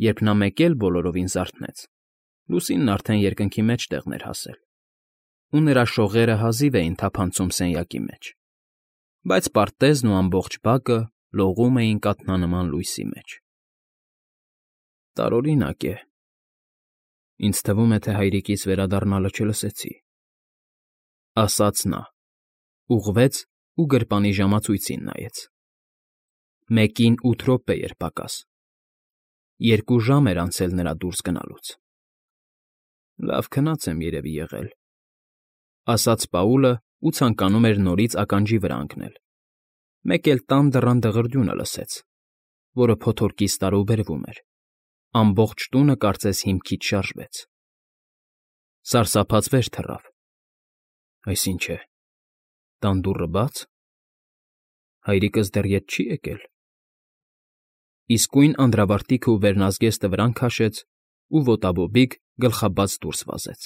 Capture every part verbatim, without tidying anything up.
Երբ նա մեկ էլ բոլորովին զարթնեց, լուսինն արդեն երկնքի մեջտեղն էր հասել, ու նրա շողերը հազիվ էին թափանցում սենյակի մեջ, բայց պարտեզն ու ամբողջ բակը լողում էին կաթնանման լույսի մեջ։ Տարօրինակ է, ինձ թվում է, թե հայրիկիս վերադառնալը չլսեցի, ասաց նա, ուղղվեց ու գրպանի ժամացույցին նայեց. Մեկին ութ րոպե էր պակաս, երկու ժամ էր անցել նրա դուրս գնալուց։ Լավ քնած եմ երևի եղել, ասաց Պաուլը ու ցանկանում էր նորից ականջի վրա ընկնել, մեկ էլ տան դռան դղրդյունը լսեց, որը փոթորկից տարուբերվում էր, ամբողջ տունը կարծես հիմքից շարժվեց։ Սարսափած վեր թռավ. այս ինչ է, տան դուռը բա՞ծ։ Հայրիկս դեռ ետ չի եկել։ Իսկույն անդրավարտիքը ու վերնազգեստը վրան քաշեց ու ոտաբոբիկ գլխաբաց դուրս վազեց։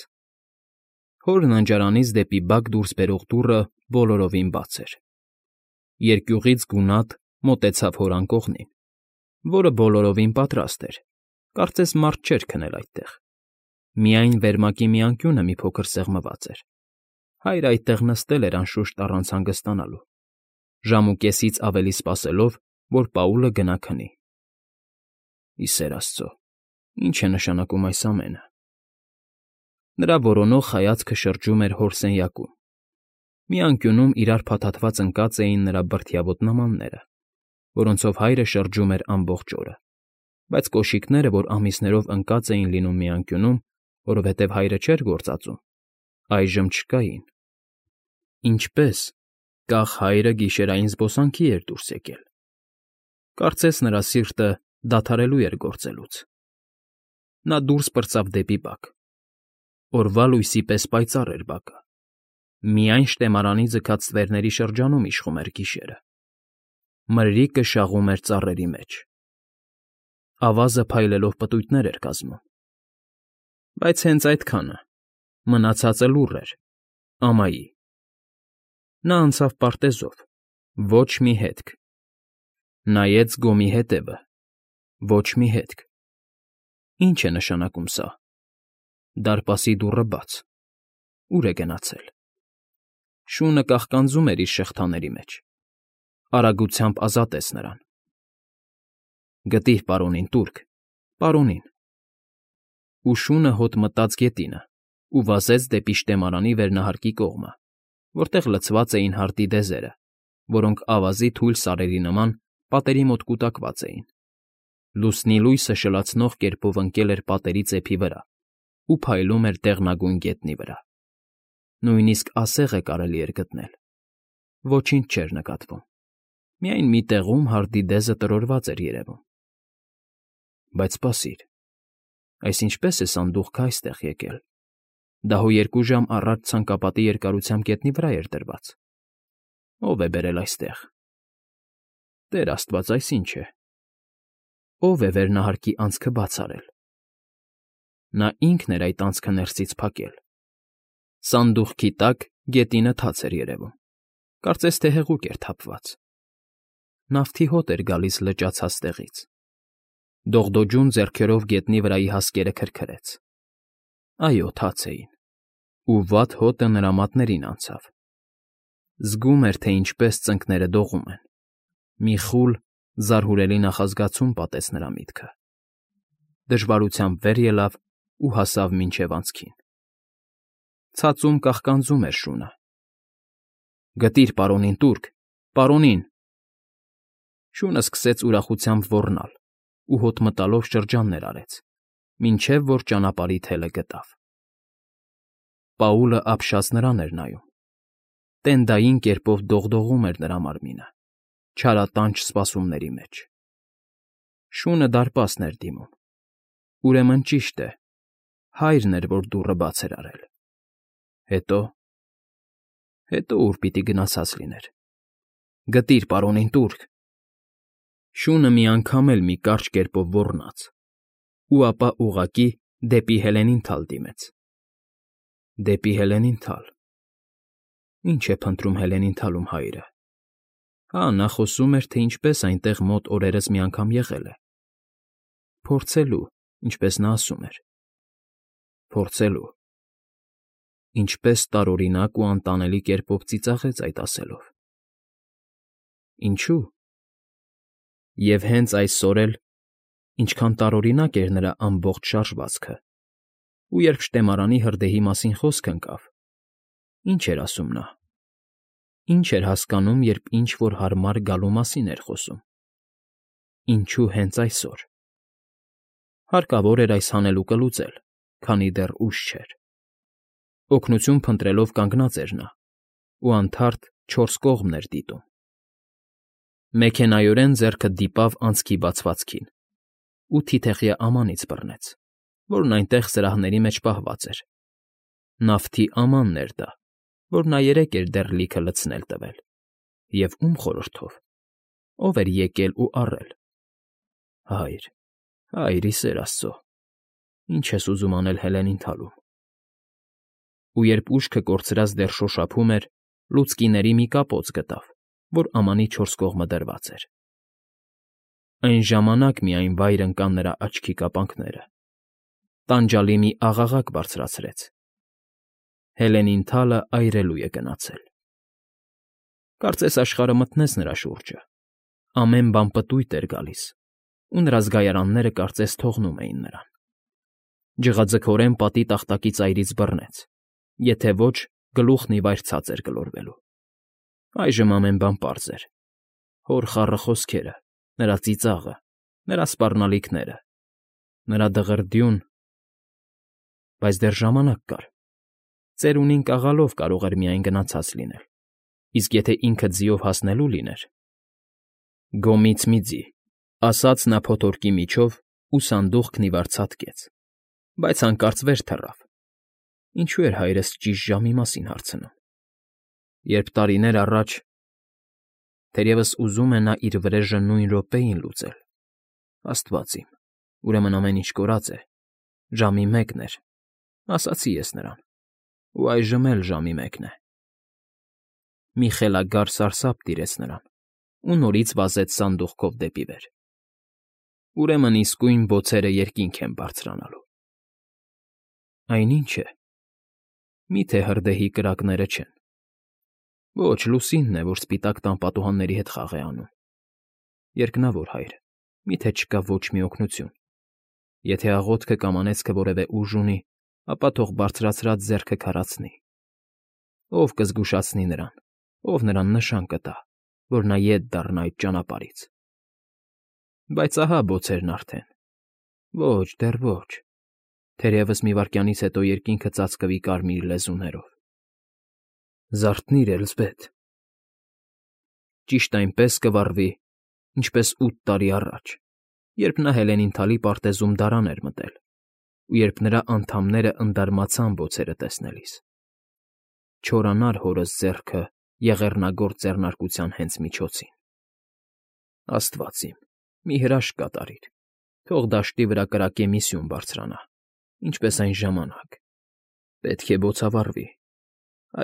Հոր ննջարանից դեպի բակ դուրս բերող դուռը բոլորովին բաց էր։ Երկյուղից գունատ մոտեցավ հոր անկողնին, որը բոլորովին պատրաստ էր, կարծես մարդ չէր քնել այդտեղ։ Միայն վերմակի մի անկյունը մի փոքր սեղմված էր։ Հայրը այդտեղ նստել էր անշուշտ առանց հանգստանալու, ժամ ու կեսից ավելի սպասելով, որ Պաուլը գնա քնի։ Ի սեր աստծո, ի՞նչ է նշանակում այս ամենը։ Նրա որոնող հայացքը շրջում էր հոր սենյակում։ Մի անկյունում իրար փաթաթված ընկած էին նրա բրդյավոտ նմանները, որոնցով հայրը շրջում էր ամբողջ օրը, բայց կոշիկները, որ ամիսներով ընկած էին լինում մի անկյունում, որովհետև հայրը չէր գործածում, այժմ չկային։ Ինչպես կախ հայրը գիշերային զբոսանքի էր դուրս եկել։ Կարծես նրա սիրտը դադարելու էր գործելուց։ Նա դուրս պրծավ դեպի բակ։ Օրվա լույսի պես պայծառ էր բակը։ Միայն շտեմարանի ձգած ստվերների շրջանում իշխում էր գիշերը։ Մրրիկը շաղում էր ծառերի մեջ։ Ավազը փայլելով պտույտներ էր կազմում։ Բայց հենց այդքանը, մնացածը լուռ էր, ամայի։ Նա անցավ պարտեզով, ոչ մի հետք։ Նայեց գոմի հետևը, ոչ մի հետք։ Ինչ է նշանակում սա։ Դարպասի դուռը բաց։ Ուր է գնացել։ Շունը կաղկանձում էր իր շղթաների մեջ։ Արագությամբ ազատեց նրան։ Գտիր պարոնին, տուրք, պարոնին։ Ու շունը հոտ մտած գետինը ու վազեց դեպի շտեմարանի վերնահարկի կողմը, որտեղ լցված էին հարտի դեզերը, որոնք ավազի թույլ սարերի նման պատերի մոտ կուտակված էին։ Լուսնի լույսը շլացնող կերպով ընկել էր պատերի ծեփի վրա ու փայլում էր դեղնագույն գետնի վրա։ Նույնիսկ ասեղ է կարելի էր գտնել։ Ոչինչ չէր նկատվում։ Միայն մի տեղում հարտի դեզը տրորված էր երևում։ Բայց սպասիր, այս ինչպես է սանդուղքը այստեղ եկել։ Դա հո երկու ժամ առաջ ցանկապատի երկարությամբ գետնի վրա էր դրված։ Ո՞վ է բերել այստեղ։ Տեր աստված, այս ինչ է։ Ո՞վ է վերնահարկի անցքը բաց արել։ Նա ինքն էր այդ անցքը ներսից փակել։ Սանդուղքի տակ գետինը թաց էր երևում, կարծես թե հեղուկ էր թափված։ Նավթի հոտ էր գալիս լճացած տեղից։ Դողդոջուն ձեռքերով գետնի վրայի հասկերը քրքրեց։ Այո, թաց էին, ու վատ հոտը նրա մատներին անցավ։ Զգում էր, թե ինչպես ծնկները դողում են։ Մի խուլ, զարհուրելի նախազգացում պատեց նրա միտքը։ Դժվարությամբ վեր ելավ ու հասավ մինչև անցքին։ Ցածում կաղկանձում էր շունը։ Գտիր պարոնին, տուրք, պարոնին։ Շունը սկսեց ուրախությամբ ոռնալ ու հոտ մտալով շրջաններ արեց, մինչև որ ճանապարհի թելը գտավ։ Պաուլը ապշած նրան էր նայում։ Տենդային կերպով դողդողում էր նրա մարմինը, չարատանչ սպասումների մեջ։ Շունը դարպասն էր դիմում։ Ուրեմն ճիշտ է, հայրն էր, որ դուռը բաց էր արել։ Հետո… Հետո ուր պիտի գնացած լիներ։ Գտիր պարոնին, տուրք։ Շունը մի անգամ էլ մի կարճ կերպով ոռնաց, ու ապա ուղղակի դեպի Հելենին թալ դիմեց։ Դեպի Հելենին թալ։ Ինչ է փնտրում Հելենին֊թալում հայրը։ Հա, նա խոսում էր, թե ինչպես այնտեղ մոտ օրերս մի անգամ եղել է։ Փորձելու, ինչպես նա ասում էր։ Փորձելու։ Ինչպես տարօրինակ ու անտանելի կերպով ծիծաղեց այդ ասելով։ Ինչու՞։ Եվ հենց այսօր էլ, ինչքան տարօրինակ էր նրա ամբողջ շարժվածքը, ու երբ շտեմարանի հրդեհի մասին խոսք ընկավ, ինչ էր ասում նա։ Ինչ էր հասկանում, երբ ինչ֊որ հարմար գալու մասին էր խոսում։ Ինչու հենց այսօր։ Հարկավոր էր այս հանելուկը լուծել, քանի դեռ ուշ չէր։ Օգնություն փնտրելով կանգնած էր նա, ու անթարթ չորս կողմն էր դիտում։ Մեքենայորեն ձեռքը դիպավ անցքի բացվածքին ու թիթեղյա ամանից բռնեց, որն այնտեղ սրահների մեջ պահված էր։ Նավթի ամանն էր դա, որ նա երեկ էր դեռ լիքը լցնել տվել, և ում խորհրդով, ով էր եկել ու առել։ Հայր, հայր, ի սեր Աստծո, ինչ ես ուզում անել Հելենին թալում։ Ու երբ ուշքը կորցրած դեռ շոշափում էր, լուցկիների մի կապոց գտավ, որ ամանի չորս կողմը դրված էր։ Այն ժամանակ միայն վայր ընկան նրա աչքի կապանքները։ Տանջալի մի աղաղակ բարձրացրեց։ Հելենին թալը այրելու է գնացել։ Կարծես աշխարհը մթնեց նրա շուրջը։ Ամեն բան պտույտ էր գալիս, ու նրա զգայարանները կարծես թողնում էին նրան։ Ջղաձգորեն պատի տախտակի ծայրից բռնեց, եթե ոչ, գլուխն ի վայր ցած էր գլորվելու։ Այժմ ամեն բան պարզ էր. հոր խառը խոսքերը, նրա ծիծաղը, նրա սպառնալիքները, նրա դղրդյուն… Բայց դեռ ժամանակ կար։ Ծերունին կաղալով կարող էր միայն գնացած լինել, իսկ եթե ինքը ձիով հասնելու լիներ… Գոմից մի ձի, ասաց նա փոթորկի միջով ու սանդուղքն ի վար ցատկեց, բայց հանկարծ վեր թռավ։ Ինչու էր հայրս ճիշտ ժամի մասին հարցնում, երբ տարիներ առաջ… Թերևս ուզում է նա իր վրեժը նույն րոպեին լուծել։ Աստված իմ, ուրեմն ամեն ինչ կորած է, ժամի մեկն էր, ասացի ես նրան, ու այժմ էլ ժամի մեկն է։ Մի խելագար սարսափ տիրեց նրան ու նորից վազեց սանդուղքով դեպի վեր։ Ուրեմն իսկույն բոցերը երկինք են բարձրանալու։ Այն ի՞նչ է։ Մի՞թե հրդեհի կրակները չեն։ Ոչ, լուսինն է, որ սպիտակ տան պատուհանների հետ խաղ է անում։ Երկնավոր Հայր, մի՞թե չկա ոչ մի օգնություն։ Եթե աղոթքը կամ անեծքը որևէ ուժ ունի, ապա թող բարձրացրած ձեռքը քարացնի։ Ով կզգուշացնի նրան, ով նրան նշան կտա, որ նա ետ դառնա այդ ճանապարհից։ Բայց ահա բոցերն արդեն… Ոչ, դեռ ոչ… Թերևս մի վայրկյանից հետո երկինքը ծածկվի կարմիր լեզուներով։ Զարթնի՛ր, Էլզբեթ… Ճիշտ այնպես կվառվի, ինչպես ութ տարի առաջ, երբ նա Հելենին թալի պարտեզում դարան էր մտել, ու երբ նրա անդամները ընդարմացան բոցերը տեսնելիս։ Չորանար հորս ձեռքը եղեռնագործ ձեռնարկության հենց միջոցին։ Աստված իմ, մի հրաշք կատարիր, թող դաշտի վրա կրակե մի սյուն բարձրանա, ինչպես այն ժամանակ… Պետք է բոցավառվի,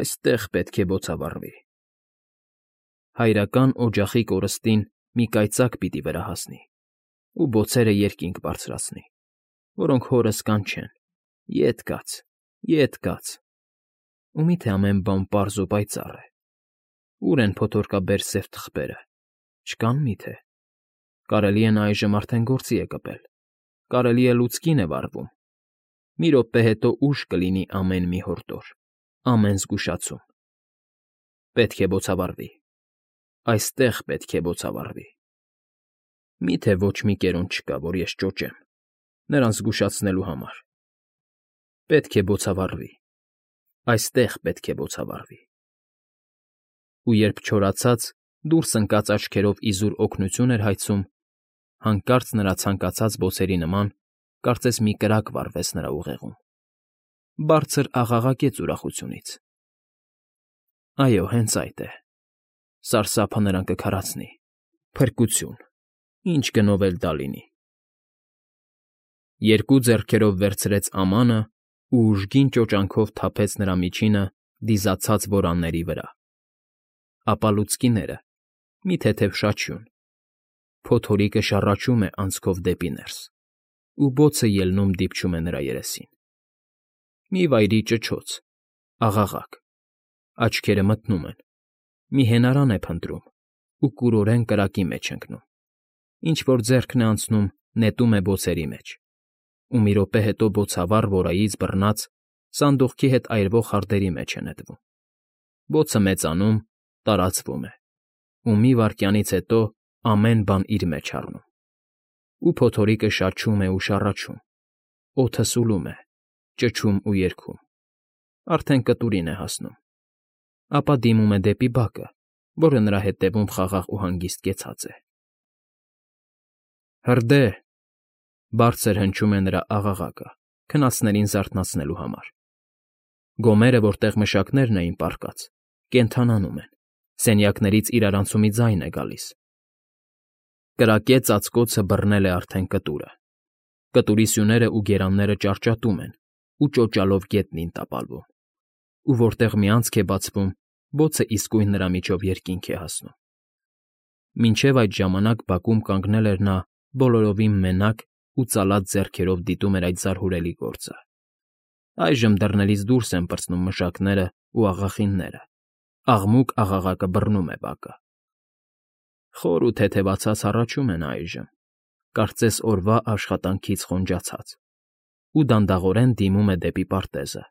այստեղ պետք է բոցավառվի… Հայրական օջախի կորստին մի կայծակ պիտի վրա հասնի ու բոցերը երկինք բարձրացնի, որոնք հորս կանչեն. ետ կաց, ետ կաց… Ու միթե ամեն բան պարզ ու պայծառ է… Ո՞ւր են փոթորկաբեր սև թղթերը, չկա՞ն միթե… Կարելի է նա այժմ արդեն գործի է կպել, կարելի է լուցկին է վառվում… Մի րոպե հետո ուշ կլինի ամեն մի հորդոր, ամեն զգուշացում… Պետք է բոցավառվի… Այստեղ պետք է բոցավառվի… Մի՞թե ոչ մի կերոն չկա, որ ես ճոճեմ, նրան զգուշացնելու համար… Պետք է բոցավառվի… Այստեղ պետք է բոցավառվի… Ու երբ չորացած, դուրս ընկած աչքերով իզուր օգնություն էր հայցում, հանկարծ նրա ցանկացած բոցերի նման կարծես մի կրակ վառվեց նրա ուղեղում… Բարձր աղաղակեց ուրախությունից… Այո, հենց այդ է… Սարսափը նրան կքարացնի… Փրկություն… Ինչ գնով էլ դա լինի… Երկու ձեռքերով վերցրեց ամանը ու ուժգին ճոճանքով թափեց նրա միջինը դիզացած որանների վրա… Ապա լուցկիները… Մի թեթև շաչյուն… Փոթորիկը շառաչում է անցքով դեպի ներս… ու բոցը ելնում դիպչում է նրա երեսին։ Մի վայրի ճչոց, աղաղակ, աչքերը մթնում են, մի հենարան է փնտրում ու կուրորեն կրակի մեջ ընկնում, ինչ֊որ ձեռքն է անցնում, նետում է բոցերի մեջ, ու մի րոպե հետո բոցավառ որայից բռնած սանդուղքի հետ այրվող խարդերի մեջ է նետվում։ Բոցը մեծանում, տարածվում է, ու մի վայրկյանից հետո ամեն բան իր մեջ առնում, ու փոթորիկը շաչում է ու շառաչում, օդը սուլում է, ճչում ու երգում, արդեն կտուրին է հասնում, ապա դիմում է դեպի բակը, որը նրա հետևում խաղաղ ու հանգիստ կեցած է։ «Հրդե՜հ», բարձր հնչում է նրա աղաղակը, քնածներին զարթնացնելու համար։ Գոմերը, որտեղ մշակներն էին պառկած, կենդանանում են, սենյակներից իրարանցումի ձայն է գալիս։ Կրակե ծածկոցը բռնել է արդեն կտուրը։ Կտուրի սյուներն ու գերանները ճարճատում են ու ճոճալով գետնին տապալվում, ու որտեղ մի անցք է բացվում, բոցը իսկույն նրա միջով երկինք է հասնում։ Մինչև այդ ժամանակ բակում կանգնել էր նա բոլորովին մենակ ու ծալած ձեռքերով դիտում էր այդ զարհուրելի գործը։ Այժմ դռներից դուրս են պրծնում մշակներն ու աղախինները, աղմուկ աղաղակը բռնում է բակը։ Խոր ու թեթևացած հառաչում է նա այժմ, կարծես օրվա աշխատանքից խոնջացած, ու դանդաղորեն դիմում է դեպի պարտեզը,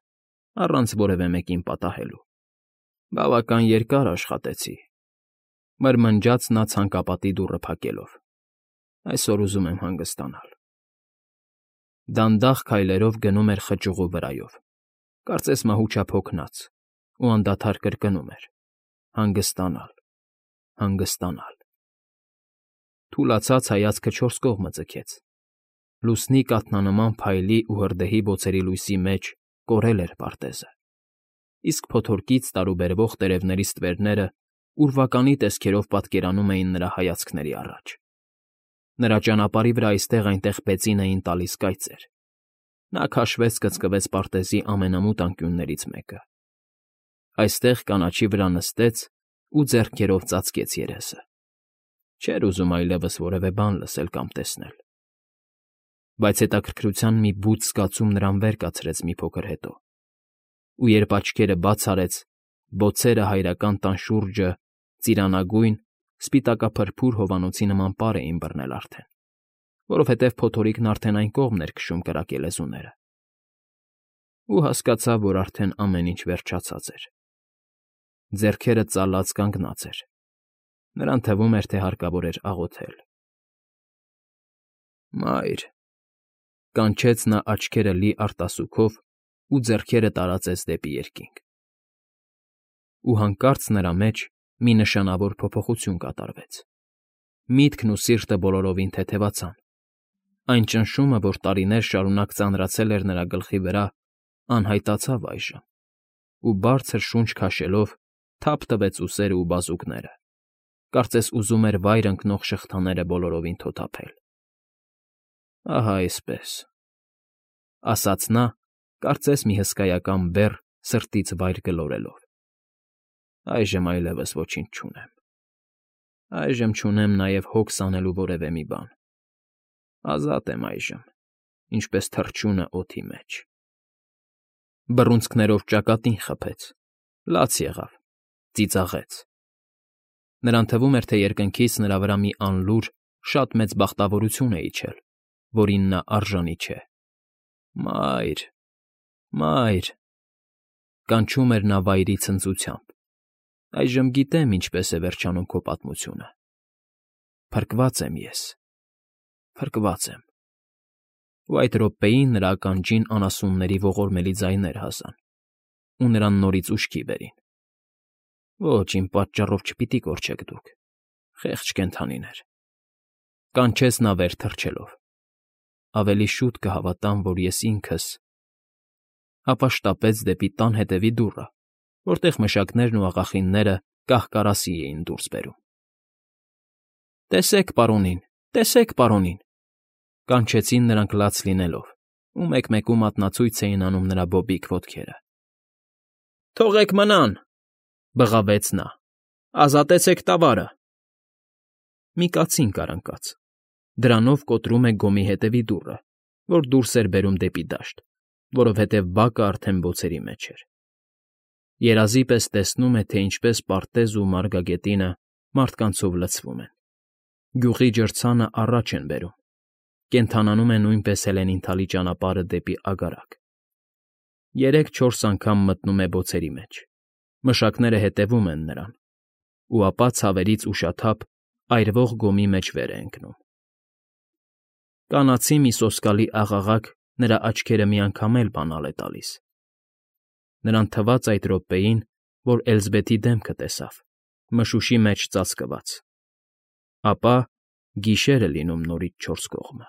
առանց որևէ մեկին պատահելու։ «Բավական երկար աշխատեցի», մրմնջաց նա ցանկապատի դուռը փակելով։ «Այսօր ուզում եմ հանգստանալ»։ Դանդաղ քայլերով գնում էր խճուղու վրայով, կարծես մահուճափ հոգնած, ու անդադար կրկնում էր. «Հանգստանալ, հանգստանալ»։ Թուլացած հայացքը չորս կողմը ձգեց։ Լուսնի կաթնանման փայլի ու հրդեհի բոցերի լույսի մեջ կորել էր պարտեզը, իսկ փոթորկից տարուբերվող տերևների ստվերները ուրվականի տեսքերով պատկերանում էին նրա հայացքների առաջ։ Նրա ճանապարհի վրա այստեղ֊այնտեղ պեցին էին տալիս կայծեր։ Նա քաշվեց֊կծկվեց պարտեզի ամենամութ անկյուններից մեկը։ Այստեղ կանաչի վրա նստեց ու ձեռքերով ծածկեց երեսը։ Չէր ուզում այլևս որևէ բան լսել կամ տեսնել։ Բայց հետաքրքրության մի բուծ զգացում նրան վեր կացրեց մի փոքր հետո, ու երբ աչքերը բաց արեց, բոցերը հայրական տան շուրջը ծիրանագույն, սպիտակափրփուր հովանոցի նման պար էին բռնել արդեն, որովհետև փոթորիկն արդեն այն կողմն էր քշում կրակե լեզուները։ Ու հասկացավ, որ արդեն ամեն ինչ վերջացած էր։ Ձեռքերը ծալած կանգնած էր։ Նրան թվում էր, թե հարկավոր էր աղոթել։ «Մայր», կանչեց նա աչքերը լի արտասուքով ու ձեռքերը տարածեց դեպի երկինք։ Ու հանկարծ նրա մեջ մի նշանավոր փոփոխություն կատարվեց։ Միտքն ու սիրտը բոլորովին թեթևացան։ Այն ճնշումը, որ տարիներ շարունակ ծանրացել էր նրա գլխի վրա, անհայտացավ այժմ, ու բարձր շունչ քաշելով թափ տվեց ուսերը ու բազուկները, կարծես ուզում էր վայր ընկնող շղթաները բոլորովին թոթափել։ «Ահա այսպես», ասաց նա, կարծես մի հսկայական բեռ սրտից վայր գլորելով։ «Այժմ այլևս ոչինչ չունեմ։ Այժմ չունեմ նաև հոգս անելու որևէ մի բան։ Ազատ եմ այժմ, ինչպես թռչունը օդի մեջ»։ Բռունցքներով ճակատին խփեց, լաց եղավ, ծիծաղեց։ Նրան թվում էր, թե երկնքից նրա վրա մի անլուր, շատ մեծ բախտավորություն է իջել, որին նա արժանի չէ։ «Մայր, մայր», կանչում էր նա վայրի ցնծությամբ։ «Այժմ գիտեմ ինչպես է վերջանում քո պատմությունը։ Փրկված եմ ես, փրկված եմ»։ Ու այդ րոպեին նրա ականջին անասունների ողորմելի ձայներ հասան, ու նրան նորից ուշքի բերին։ «Ոչ, իմ պատճառով չպիտի կորչեք դուք, խեղճ կենդանիներ», կանչեց նա վեր թռչելով։ «Ավելի շուտ կհավատամ, որ ես ինքս…»։ Ապա շտապեց դեպի տան հետևի դուռը, որտեղ մշակներն ու աղախինները կահ֊կարասի էին դուրս բերում։ «Տեսեք պարոնին, տեսեք պարոնին», կանչեցին նրանք լաց լինելով, ու մեկ֊մեկու մատնացույց էին անում նրա բոբիկ ոտքերը։ «Թողեք մնան», բղավեց նա, «ազատեցեք տավարը»։ Մի կացին կար ընկած, դրանով կոտրում է գոմի հետևի դուռը, որ դուրս էր բերում դեպի դաշտ, որովհետև բակը արդեն բոցերի մեջ էր։ Երազի պես տեսնում է, թե ինչպես պարտեզն ու մարգագետինը մարդկանցով լցվում են, գյուղի ջրցանը առաջ են բերում, կենդանանում է նույնպես Հելենին֊թալի ճանապարհը դեպի Ագարակ։ Երեք֊չորս անգամ մտնում է բոցերի մեջ, մշակները հետևում են նրան, ու ապա ցավերից ուշաթափ այրվող գոմի մեջ վեր է ընկնում։ Կանացի մի սոսկալի աղաղակ նրա աչքերը մի անգամ էլ բանալ է տալիս։ Նրան թվաց այդ րոպեին, որ Էլզբեթի դեմքը տեսավ, մշուշի մեջ ծածկված, ապա գիշեր է լինում նորից չորս կողմը։